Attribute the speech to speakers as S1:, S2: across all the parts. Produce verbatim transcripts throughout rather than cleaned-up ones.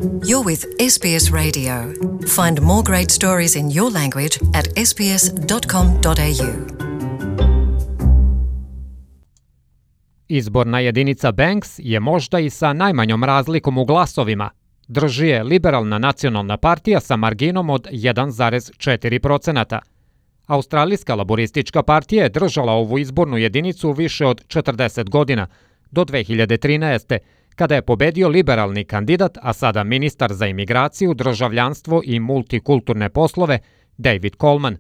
S1: You're with S B S Radio. Find more great stories in your language at s b s dot com dot a u.
S2: Izborna jedinica Banks je možda i sa najmanjom razlikom u glasovima. Drži je Liberalna nacionalna partija sa marginom od jedan zarez četiri procenta. Australijska laboristička partija je držala ovu izbornu jedinicu više od četrdeset godina, do dve hiljade trinaeste. kada je pobedio liberalni kandidat, a sada ministar za imigraciju, državljanstvo i multikulturne poslove, David Coleman.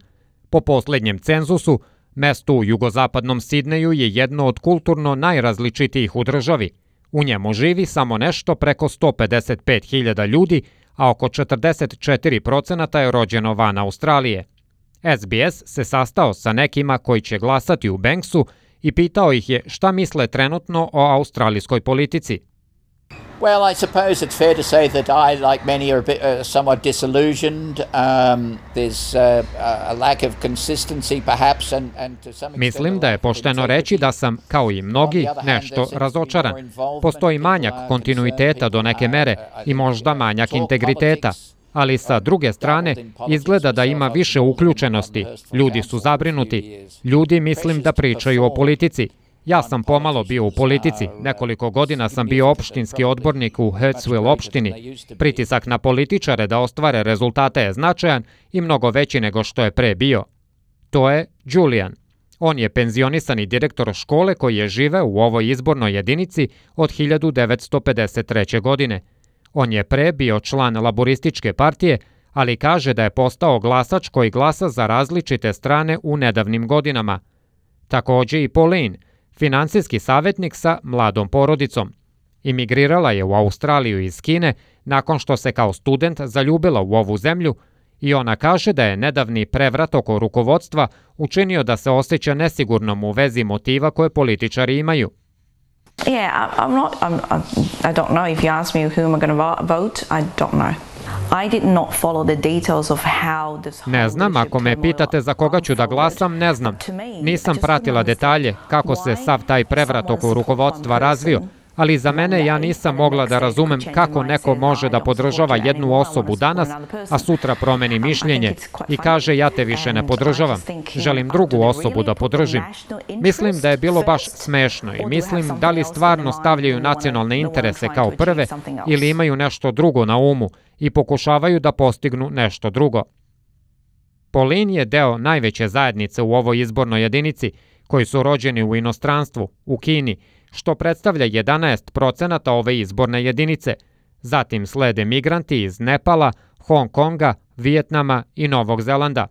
S2: Po posljednjem cenzusu, mesto u jugozapadnom Sidneju je jedno od kulturno najrazličitijih u državi. U njemu živi samo nešto preko sto pedeset pet hiljada ljudi, a oko četrdeset četiri procenta je rođeno van Australije. S B S se sastao sa nekima koji će glasati u Banksu i pitao ih je šta misle trenutno o australijskoj politici.
S3: Well, I suppose it's fair to say that I, like many, are a bit, uh, somewhat disillusioned. Um, there's uh, a lack of consistency, perhaps, and, and to some extent...
S2: Mislim da je pošteno reći da sam, kao i mnogi, nešto razočaran. Postoji manjak kontinuiteta do neke mere i možda manjak integriteta. Ali sa druge strane, izgleda da ima više uključenosti. Ljudi su zabrinuti. Ljudi mislim da pričaju o politici. Ja sam pomalo bio u politici. Nekoliko godina sam bio opštinski odbornik u Hurstville opštini. Pritisak na političare da ostvare rezultate je značajan i mnogo veći nego što je pre bio. To je Julian. On je penzionisani direktor škole koji je živeo u ovoj izbornoj jedinici od hiljadu devetsto pedeset treće. godine. On je pre bio član laborističke partije, ali kaže da je postao glasač koji glasa za različite strane u nedavnim godinama. Također i Pauline, finansijski savjetnik sa mladom porodicom. Imigrirala je u Australiju iz Kine nakon što se kao student zaljubila u ovu zemlju i ona kaže da je nedavni prevrat oko rukovodstva učinio da se osjeća nesigurnom u vezi motiva koje političari imaju.
S4: Yeah, I'm not, I'm, I'm, I don't know. If you ask me who am I going to vote, I don't know. I did not follow the details of how this
S2: Ne znam, ako me pitate za koga ću da glasam, ne znam. Nisam pratila detalje kako se sav taj prevrat oko rukovodstva razvio, ali za mene ja nisam mogla da razumem kako neko može da podržava jednu osobu danas, a sutra promeni mišljenje i kaže ja te više ne podržavam, želim drugu osobu da podržim. Mislim da je bilo baš smešno i mislim da li stvarno stavljaju nacionalne interese kao prve ili imaju nešto drugo na umu i pokušavaju da postignu nešto drugo. Pauline je deo najveće zajednice u ovoj izbornoj jedinici koji su rođeni u inostranstvu, u Kini, što predstavlja jedanaest procenta ove izborne jedinice. Zatim slede migranti iz Nepala, Hong Konga, Vijetnama i Novog Zelanda.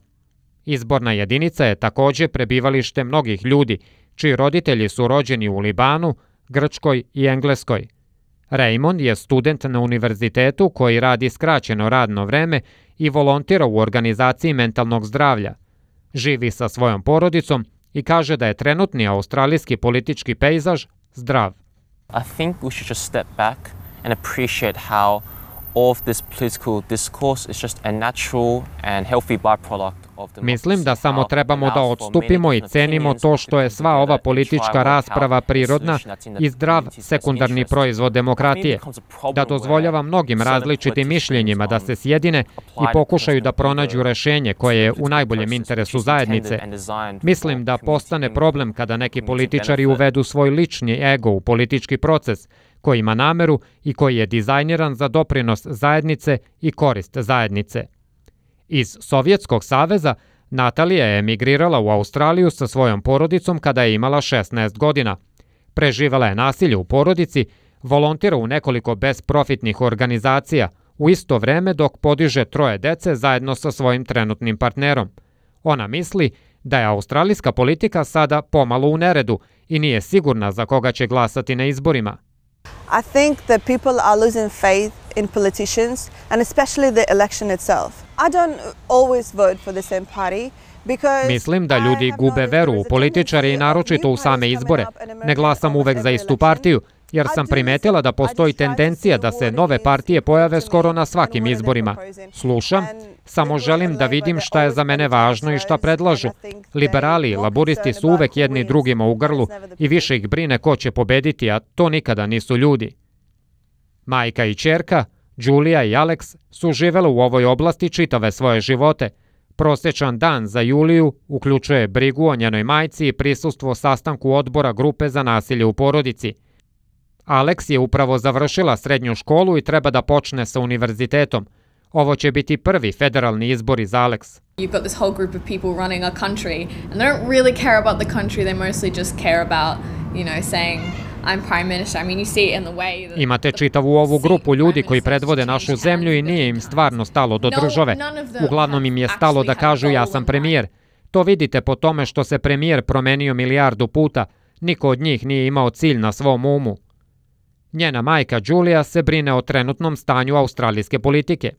S2: Izborna jedinica je također prebivalište mnogih ljudi, čiji roditelji su rođeni u Libanu, Grčkoj i Engleskoj. Raymond je student na univerzitetu koji radi skraćeno radno vreme i volontira u organizaciji mentalnog zdravlja. Živi sa svojom porodicom i kaže da je trenutni australijski politički pejzaž zdrav.
S5: I think we should just step back and appreciate how all of this political discourse is just a natural and healthy byproduct of the
S2: Mislim da samo trebamo da odstupimo i cenimo to što je sva ova politička rasprava prirodna i zdrav sekundarni proizvod demokratije, da dozvoljava mnogim različitim mišljenjima da se sjedine i pokušaju da pronađu rešenje koje je u najboljem interesu zajednice. Mislim da postane problem kada neki političari uvedu svoj lični ego u politički proces, koji ima nameru i koji je dizajniran za doprinos zajednice i korist zajednice. Iz Sovjetskog saveza Natalija je emigrirala u Australiju sa svojom porodicom kada je imala šesnaest godina. Preživela je nasilje u porodici, volontira u nekoliko bezprofitnih organizacija, u isto vreme dok podiže troje dece zajedno sa svojim trenutnim partnerom. Ona misli da je australijska politika sada pomalo u neredu i nije sigurna za koga će glasati na izborima.
S6: I think that people are losing faith in politicians and especially the election itself. I don't always vote for the same party.
S2: Mislim da ljudi gube veru u političare i naročito u same izbore. Ne glasam uvek za istu partiju, jer sam primetila da postoji tendencija da se nove partije pojave skoro na svakim izborima. Slušam, samo želim da vidim šta je za mene važno i šta predlažu. Liberali i laburisti su uvek jedni drugima u grlu i više ih brine ko će pobediti, a to nikada nisu ljudi. Majka i ćerka, Julia i Alex su živele u ovoj oblasti čitave svoje živote. Prosječan dan za Juliju uključuje brigu o njenoj majci i prisustvo sastanku odbora grupe za nasilje u porodici. Alex je upravo završila srednju školu i treba da počne sa univerzitetom. Ovo će biti prvi federalni izbori za Alex.
S7: You've got this whole group of people running a country and they don't really care about the country, they mostly just care about, you know, saying I'm prime minister. I mean, you see it in the way that
S2: Imate čitavu ovu grupu ljudi koji predvode našu zemlju i nije im stvarno stalo do države. Uglavnom im je stalo da kažu ja sam premijer. To vidite po tome što se premijer promenio milijardu puta. Niko od njih nije imao cilj na svom umu. Njena majka Julia se brine o trenutnom stanju australijske politike.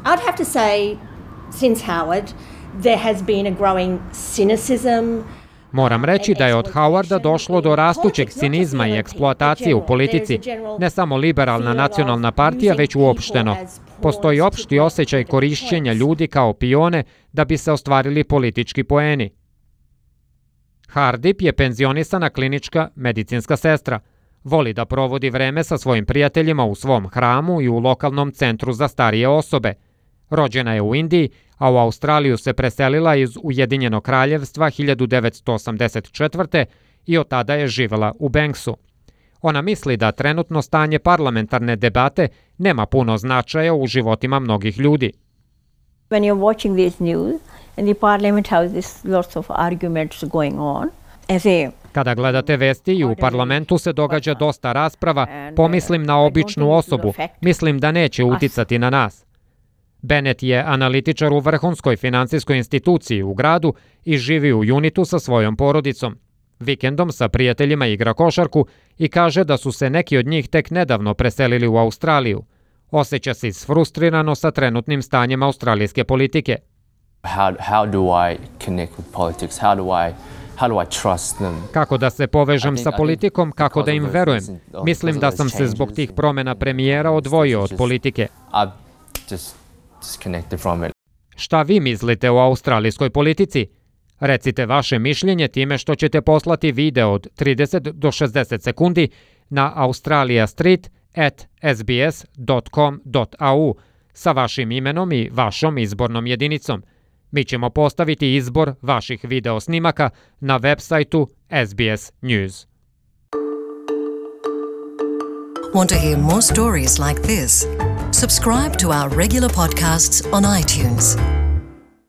S8: I'd have to say, since Howard, there has been a growing cynicism.
S2: Moram reći da je od Howarda došlo do rastućeg cinizma i eksploatacije u politici, ne samo liberalna nacionalna partija, već uopšteno. Postoji opšti osjećaj korišćenja ljudi kao pione da bi se ostvarili politički poeni. Hardip je penzionisana klinička medicinska sestra. Voli da provodi vreme sa svojim prijateljima u svom hramu i u lokalnom centru za starije osobe. Rođena je u Indiji, a u Australiju se preselila iz Ujedinjenog kraljevstva hiljadu devetsto osamdeset četvrte i od tada je živela u Banksu. Ona misli da trenutno stanje parlamentarne debate nema puno značaja u životima mnogih ljudi.
S9: When you're watching this news and the parliament has this lots of arguments going on, as a
S2: Kada gledate vesti i u parlamentu se događa dosta rasprava, pomislim na običnu osobu, mislim da neće uticati na nas. Bennett je analitičar u vrhunskoj finansijskoj instituciji u gradu i živi u Unitu sa svojom porodicom. Vikendom sa prijateljima igra košarku i kaže da su se neki od njih tek nedavno preselili u Australiju. Osjeća se isfrustrirano sa trenutnim stanjem australijske politike.
S5: How, how do I connect with politics? How do I How do I trust them?
S2: Kako da se povežem sa politikom, kako da im verujem? Mislim da sam se zbog tih promjena premijera odvojio od politike. Šta vi mislite o australijskoj politici? Recite vaše mišljenje time što ćete poslati video od trideset do šezdeset sekundi na australiastreet at s b s dot com dot a u sa vašim imenom i vašom izbornom jedinicom. Mi ćemo postaviti izbor vaših video snimaka na web sajtu S B S News.
S1: Want to hear more stories like this? Subscribe to our regular podcasts on iTunes.